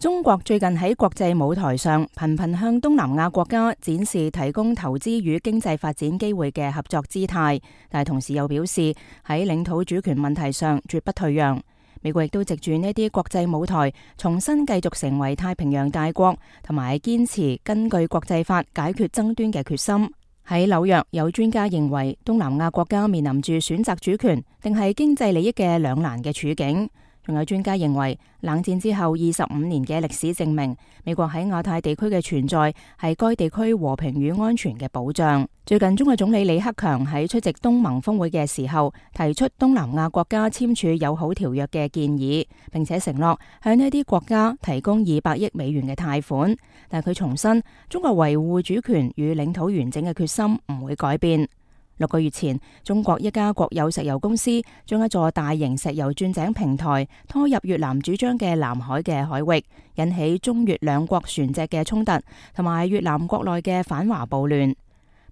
中國最近喺國際舞台上頻頻向東南亞國家展示提供投資與經濟發展機會嘅合作姿態，但係同時又表示喺領土主權問題上絕不退讓。美國亦都藉住呢啲國際舞台，重新繼續成為太平洋大國，同埋堅持根據國際法解決爭端嘅決心。喺紐約，有專家認為東南亞國家面臨住選擇主權定係經濟利益嘅兩難嘅處境。仲有專家認為，冷戰之後25年嘅歷史證明，美國喺亞太地區嘅存在係該地區和平與安全嘅保障。最近，中國總理李克強喺出席東盟峰會嘅時候，提出東南亞國家簽署友好條約嘅建議，並且承諾向呢啲國家提供200億美元嘅貸款。但佢重申，中國維護主權與領土完整嘅決心唔會改變。6個月前，中國一家國有石油公司將一座大型石油鑽井平台拖入越南主張嘅南海嘅海域，引起中越兩國船隻嘅衝突，同埋越南國內嘅反華暴亂。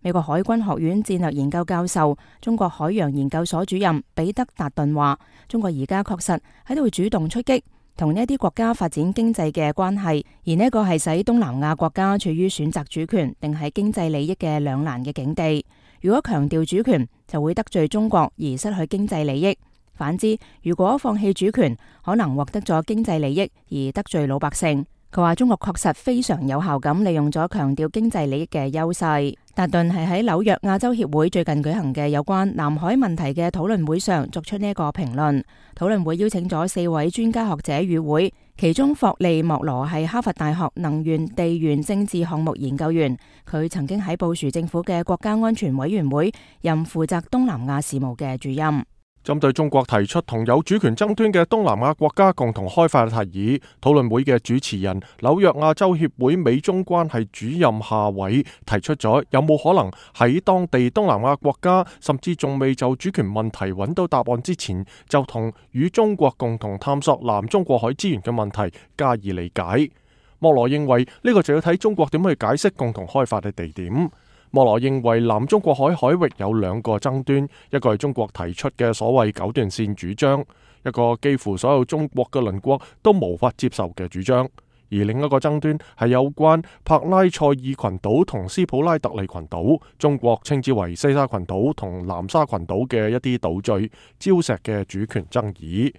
美國海軍學院戰略研究教授、中國海洋研究所主任彼得達頓話：中國而家確實喺度主動出擊，同呢啲國家發展經濟嘅關係，而呢個係使東南亞國家處於選擇主權定係經濟利益嘅兩難嘅境地。如果強調主權，就會得罪中國而失去經濟利益；反之，如果放棄主權，可能獲得咗經濟利益而得罪老百姓。佢話中國確實非常有效咁利用咗強調經濟利益嘅優勢。達頓係喺紐約亞洲協會最近舉行嘅有關南海問題嘅討論會上作出呢個評論。討論會邀請咗4位專家學者與會，其中霍利莫羅係哈佛大學能源地緣政治項目研究員，佢曾經喺布殊政府嘅國家安全委員會任負責東南亞事務嘅主任。針對中國提出同有主權爭端嘅東南亞國家共同開發嘅提議，討論會嘅主持人紐約亞洲協會美中關係主任夏偉提出咗有冇可能喺當地東南亞國家甚至仲未就主權問題揾到答案之前，就同與中國共同探索南中國海資源嘅問題加以理解。莫羅認為呢個就要睇中國點去解釋共同開發嘅地點。莫羅認為南中國海海域有2個爭端，一個係中國提出嘅所謂9段線主張，一個幾乎所有中國嘅鄰國都無法接受嘅主張，而另一個爭端係有關帕拉塞爾群島同斯普拉特利群島，中國稱之為西沙群島同南沙群島嘅一啲島嶼礁石嘅主權爭議。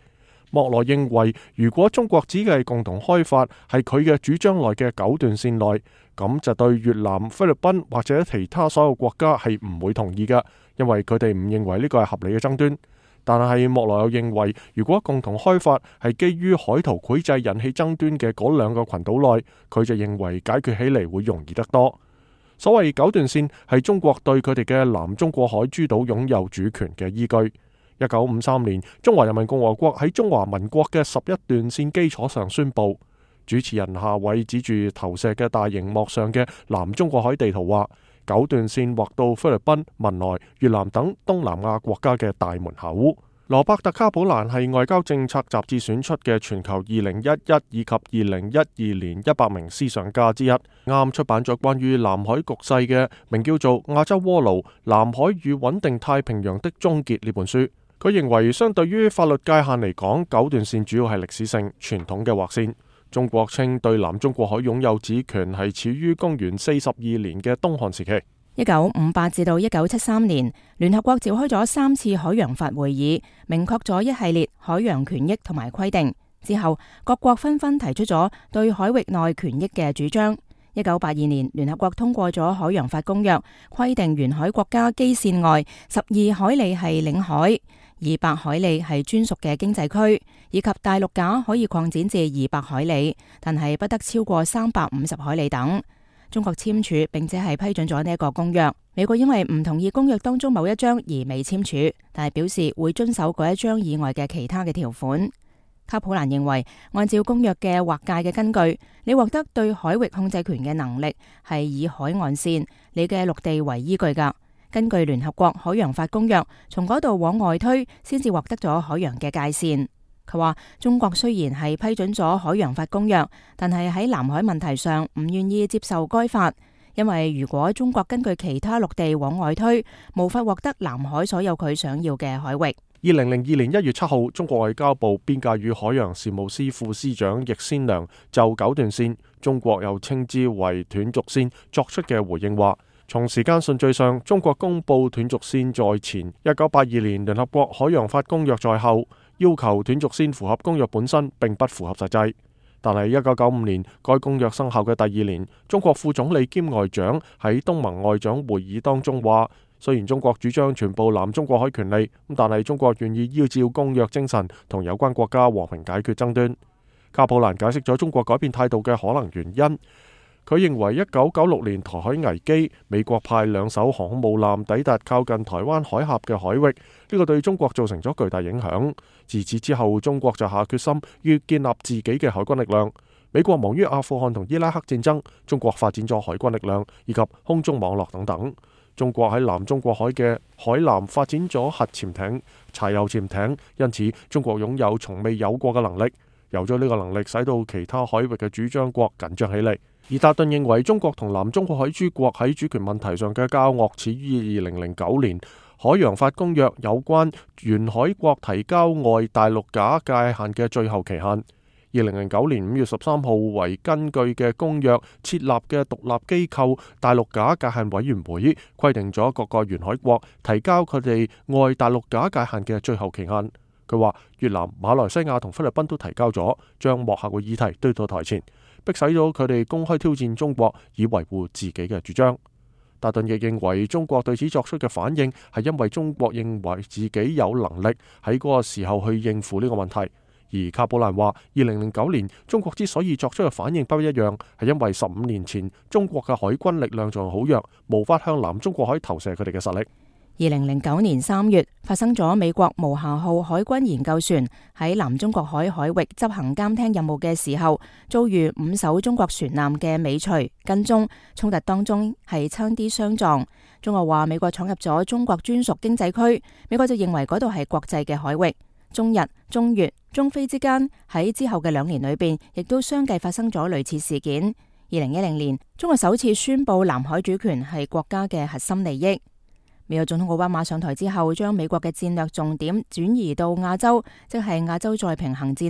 莫羅認為，如果中國指嘅共同開發係佢嘅主張內嘅9段線內，咁就對越南、菲律賓或者其他所有國家係唔會同意嘅，因為佢哋唔認為呢個係合理嘅爭端。但係莫羅又認為，如果共同開發係基於海圖繪製引起爭端嘅嗰2個群島內，佢就認為解決起嚟會容易得多。所謂9段線係中國對佢哋嘅南中國海諸島擁有主權嘅依據。1953年，中華人民共和國喺中華民國嘅11段線基礎上宣布。主持人夏偉指住投射嘅大螢幕上嘅南中國海地圖話，9段線劃到菲律賓、文萊、越南等東南亞國家嘅大門口。羅伯特卡普蘭係外交政策雜誌選出嘅全球2011以及2012年100名思想家之一，啱出版咗關於南海局勢嘅名叫做《亞洲鍋爐：南海與穩定太平洋的終結》呢本書。佢認為，相對於法律界限嚟講，9段線主要係歷史性傳統嘅劃線。中國稱對南中國海擁有主權係始於公元42年嘅東漢時期。1958至到1973年，聯合國召開咗3次海洋法會議，明確咗一系列海洋權益同埋規定。之後，各國紛紛提出咗對海域內權益嘅主張。1982年，聯合國通過咗海洋法公約，規定沿海國家基線外12海里係領海，200海里係專屬嘅經濟區，以及大陸架可以擴展至200海里，但係不得超過350海里等。中國簽署並且係批准咗呢一個公約。美國因為唔同意公約當中某一章而未簽署，但係表示會遵守嗰一章以外嘅其他嘅條款。卡普蘭認為，按照公約嘅劃界嘅根據，你獲得對海域控制權嘅能力係以海岸線、你嘅陸地為依據㗎。根據聯合國海洋法公約，從嗰度往外推，先至獲得咗海洋嘅界線。佢話中國雖然係批准咗海洋法公約，但係喺南海問題上唔願意接受該法，因為如果中國根據其他陸地往外推，無法獲得南海所有佢想要嘅海域。2002年1月7號，中國外交部邊界與海洋事務司副司長易先良就九段線，中國又稱之為斷續線作出嘅回應話，從時間順序上，中國公布斷續線在前，1982年聯合國海洋法公約在後，要求斷續線符合公約本身並不符合實際。但係1995年該公約生效嘅第2年，中國副總理兼外長喺東盟外長會議當中話，雖然中國主張全部南中國海權利，但係中國願意依照公約精神同有關國家和平解決爭端。卡普蘭解釋咗中國改變態度嘅可能原因。佢認為1996年台海危機，美國派2艘航空母艦抵達靠近台灣海峽嘅海域，呢個對中國造成咗巨大影響。自此之後，中國就下決心要建立自己嘅海軍力量。美國忙於阿富汗同伊拉克戰爭，中國發展咗海軍力量以及空中網絡等等。中國喺南中國海嘅海南發展咗核潛艇、柴油潛艇，因此中國擁有從未有過嘅能力。有咗呢個能力，使到其他海域嘅主張國緊張起嚟。而達頓認為，中國同南中國海諸國喺主權問題上嘅交惡始於2009年海洋法公約有關沿海國提交外大陸架界限嘅最後期限。2009年5月13號為根據嘅公約設立嘅獨立機構大陸架界限委員會，規定咗各個沿海國提交佢哋外大陸架界限嘅最後期限。佢話越南、馬來西亞同菲律賓都提交咗，將幕後嘅議題推到台前，迫使咗佢哋公開挑戰中國，以維護自己嘅主張。達頓亦認為中國對此作出嘅反應係因為中國認為自己有能力喺嗰個時候去應付呢個問題。而卡普蘭話，2009年中國之所以作出嘅反應不一樣，係因為15年前中國嘅海軍力量仲好弱，無法向南中國海投射佢哋嘅實力。2009年3月發生咗美國無瑕號海軍研究船喺南中國海海域執行監聽任務嘅時候，遭遇5艘中國船艦嘅尾隨跟蹤，衝突當中係差啲相撞。中國話美國闖入咗中國專屬經濟區，美國就認為嗰度係國際嘅海域。中日、中越、中非之間喺之後嘅2年裏邊，亦都相繼發生咗類似事件。2010年，中國首次宣布南海主權係國家嘅核心利益。美國總統奧巴馬上台之後，將美國嘅戰略重點轉移到亞洲，即係亞洲再平衡戰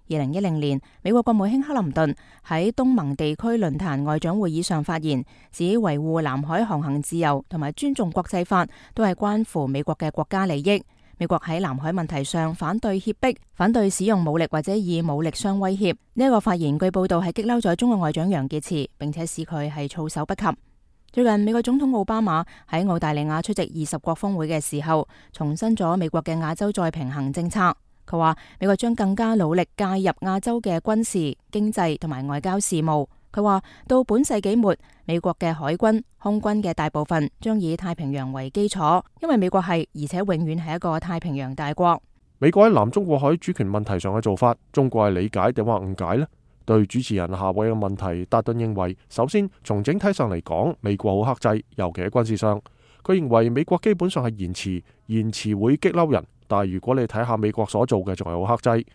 略。2010年，美國國務卿克林頓喺東盟地區論壇外長會議上發言，指維護南海航行自由同埋尊重國際法都係關乎美國嘅國家利益。美國喺南海問題上反對脅迫，反對使用武力或者以武力相威脅。呢一個發言據報道係激嬲咗中國外長楊潔篪，並且使佢係措手不及。最近美國總統奧巴馬喺澳大利亞出席20國峰會嘅時候，重申咗美國嘅亞洲再平衡政策。佢話美國將更加努力介入亞洲嘅軍事、經濟同埋外交事務。佢話到本世紀末，美國嘅海軍、空軍嘅大部分將以太平洋為基礎，因為美國係而且永遠係一個太平洋大國。美國喺南中國海主權問題上嘅做法，中國係理解定話誤解呢？對主持人夏威嘅問題，達頓認為，首先從整體上嚟講，美國好克制，尤其喺軍事上。佢認為美國基本上係言辭會激嬲人，但係如果你睇下美國所做嘅，仲係好克制。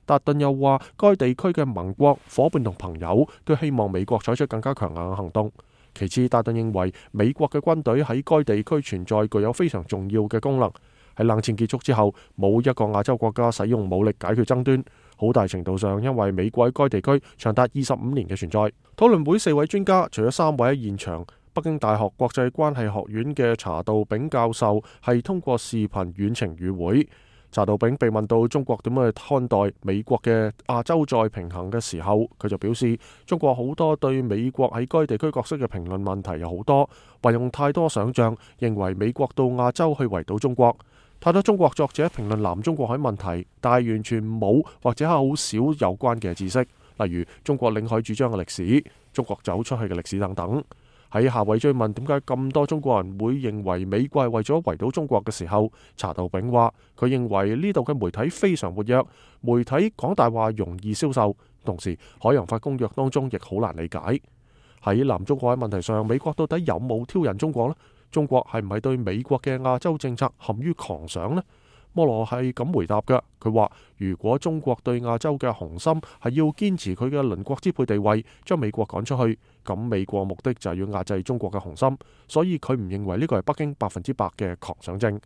達頓又話，該地區嘅盟國、伙伴同朋友都希望美國採取更加強硬嘅行動。其次，達頓認為美國嘅軍隊喺該地區存在具有非常重要嘅功能。喺冷戰結束之後，冇一個亞洲國家使用武力解決爭端，好大程度上因為美國喺該地區長達25年嘅存在。討論會4位專家，除咗3位喺現場，北京大學國際關係學院嘅查道丙教授係通過視頻遠程與會。查道丙被問到中國點樣去看待美國嘅亞洲再平衡嘅時候，佢就表示中國好多對美國喺該地區角色嘅評論問題有好多，運用太多想象，認為美國到亞洲去圍堵中國。太多中國作者評論南中國海問題，但係完全冇或者係好少有關嘅知識，例如中國領海主張嘅歷史、中國走出去嘅歷史等等。喺夏偉追問點解咁多中國人會認為美國係為咗圍堵中國嘅時候，查道丙話佢認為呢度嘅媒體非常活躍，媒體講大話容易銷售，同時海洋法公約當中亦好難理解。喺南中國海問題上，美國到底有冇挑釁中國呢？中國係唔係對美國嘅亞洲政策陷於狂想呢？摩羅係咁回答嘅，佢話如果中國對亞洲嘅雄心係要堅持佢嘅鄰國支配地位，將美國趕出去，咁美國目的就係要壓制中國嘅雄心，所以佢唔認為呢個係北京100%嘅狂想症。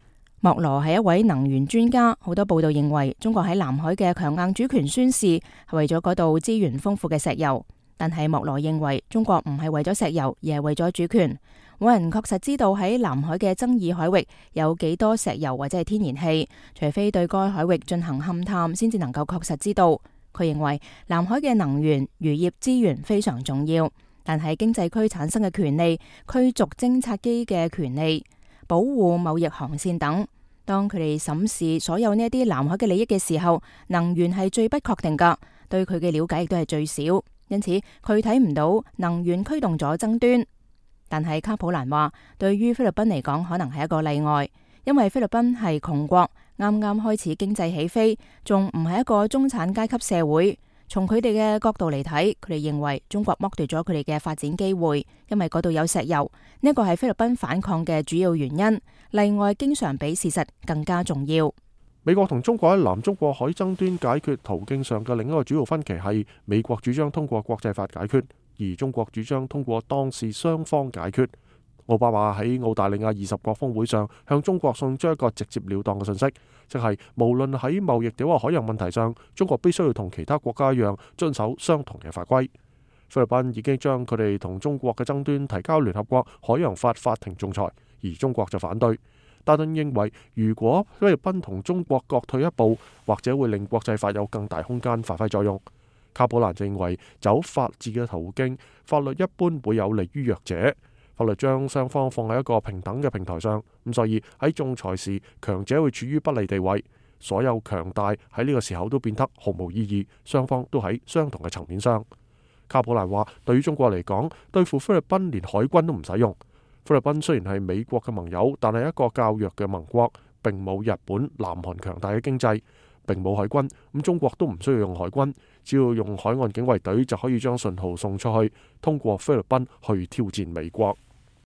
莫羅係一位能源專家，好多報道認為中國喺南海嘅強硬主權宣示係為咗嗰度資源豐富嘅石油，但係莫羅認為中國唔係為咗石油，而係為咗主權。冇人確實知道喺南海嘅爭議海域有幾多石油或者係天然氣，除非對該海域進行勘探，先至能夠確實知道。佢認為南海嘅能源、漁業資源非常重要，但係經濟區產生嘅權利、驅逐偵察機嘅權利、保護貿易航線等，當佢哋審視所有呢一啲南海嘅利益嘅時候，能源係最不確定噶，對佢嘅了解亦都係最少，因此佢睇唔到能源驅動咗爭端。但係卡普蘭話，對於菲律賓嚟講，可能係一個例外，因為菲律賓係窮國，啱啱開始經濟起飛，仲唔係一個中產階級社會。從佢哋嘅角度嚟睇，佢哋認為中國剝奪咗佢哋嘅發展機會，因為嗰度有石油，呢一個係菲律賓反抗嘅主要原因。例外經常比事實更加重要。美國同中國喺南中國海爭端解決途徑上嘅另一個主要分歧係，美國主張通過國際法解決，而中國主張通過當事雙方解決。奧巴馬喺澳大利亞20國峰會上向中國送出一個直接了當嘅信息，即係無論喺貿易定或海洋問題上，中國必須要同其他國家一樣遵守相同嘅法規。菲律賓已經將佢哋同中國嘅爭端提交聯合國海洋法法庭仲裁，而中國就反對。拜登認為，如果菲律賓同中國各退一步，或者會令國際法有更大空間發揮作用。卡普蘭認為，走法治嘅途徑，法律一般會有利於弱者。法律將雙方放喺一個平等嘅平台上，咁所以喺仲裁時，強者會處於不利地位。所有強大喺呢個時候都變得毫無意義，雙方都喺相同嘅層面上。卡普蘭話，對於中國嚟講，對付菲律賓連海軍都唔使用。菲律賓雖然係美國嘅盟友，但係一個較弱嘅盟國，並冇日本、南韓強大嘅經濟，並冇海軍。咁中國都唔需要用海軍，只要用海岸警衛隊就可以將信號送出去，通過菲律賓去挑戰美國。